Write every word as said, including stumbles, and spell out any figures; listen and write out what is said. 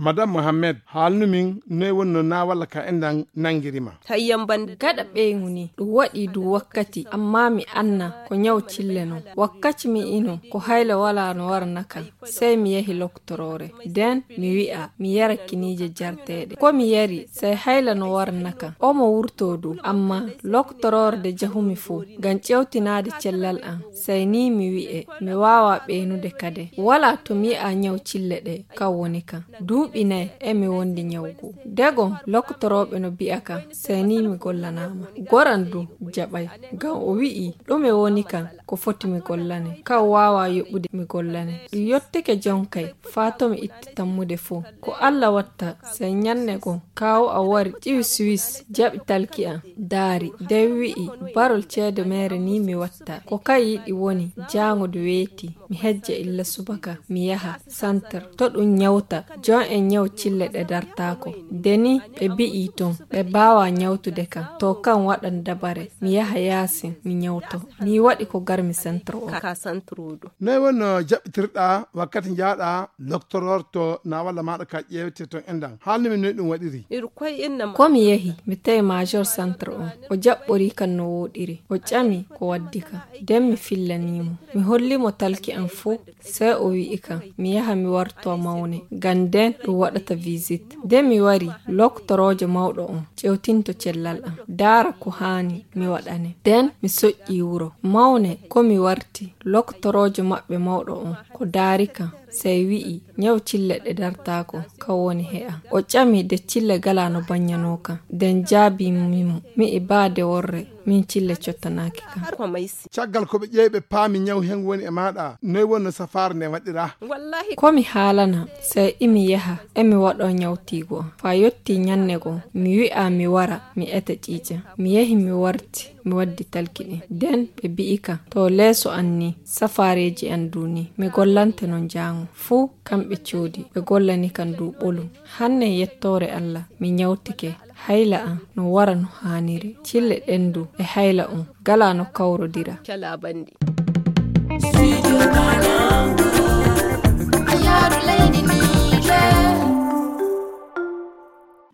Madame Mohamed, haalnu min noy wonno na walla ka enɗan nanngiri ma? Hayyam ban. Gaɗa ɓeyŋu ni, ɗum waɗi du wakkati, amma mi anna ko ñaw cille non. Wakkati mi ino, ko hayla wala no warna kan. Sey mi yahi loktoroore. Den mi wi'a, mi yara kiniije jarteeɗe. Ko mi yari, sey hayla no warna kan. Omo wurtoo du, amma loktoroore de jahumi fu, ngam ƴewtinaade cellal am. Sey ni mi wi'e, mi waawa ɓeynude kade. Wala to mi yi'a ñaw cille ɗe, kan woni kan. Duuɓi nay e mi wondi ñawgu. Degon loktorooɓe no bi'a kan, sey ni mi gollanaama. Goran du jaɓay, ngam o wi'i, ɗume woni kan, ko foti mi gollane. Kan waawa yoɓude mi gollane. Ɗum yottike jonkay, faa to mi itti tammude fuu. Ko Alla watta, sey ñanne gon, kaawu am wari ƴiwi Suwis, jaɓi talki am, daari, den wi'i, barol ceede meere ni mi watta. Ko kan yiɗi woni, jaango du weeti. Mi hejja illa subaka, mi yaha santar. To ɗum ñawta, jon en ñaw cille ɗe dartaako. Deni ɓe bi'i ton, ɓe baawa ñawtude kan. To kan waɗan dabare, mi yaha yaasin, mi ñawto. Mi waɗi ko garmi santar o. Noy wonno jaɓɓitirɗa wakkati njaaɗa loktoroor to na walla maaɗa ka ƴeewte ton enɗan? Haalni min noy ɗum waɗiri? Ko mi yehi, mi tawi major centre on. O jaɓɓori kan no wooɗiri. O ƴami ko waddi kan. Den mi fillanii mo. Mi holli mo talki an fuu. Sey o wi'i kan, mi yaha mi wartoo mawne. Ngam den ɗum waɗata visite. Den mi wari, loktoroojo mawɗo on ƴewtinto cellal an. Daara ko haani mi waɗane. Den mi soƴƴii wuro. Mawne ko mi warti, loktoroojo maɓɓe mawɗo on ko daari kan. Sey wi'i, ñaw cille ɗe dartaako, kan woni he am. O ƴami de cille gala no banñanoo kan. Den jaabii mi mo, mi'i baa de worre, min cille cottanaaki kan. Caggal ko ɓe ƴeewi ɓe paami ñaw hen woni e maaɗa, noy wonno safaare nde waɗira? Ko mi haalana, sey imi yaha, emi waɗoo ñawtiigu am. Faa yottii ñannde goo, mi wi'aa mi wara, mi eta ƴiiƴam. Mi yahi mi warti, mi waddi talki ɗin. Den ɓe bi'i kan, to leeso an ni, safaareeji an du ni, mi gollante non jaango. Fuu kamɓe coodi, ɓe gollani kan du ɓolum. Hanne yettoore Alla, mi ñawtike, hayla an no wara no haaniri. Cille ɗen du e hayla on, gala no kawrodira. Calaa banndi. Studio Banangu. A yaaru leydi ndi.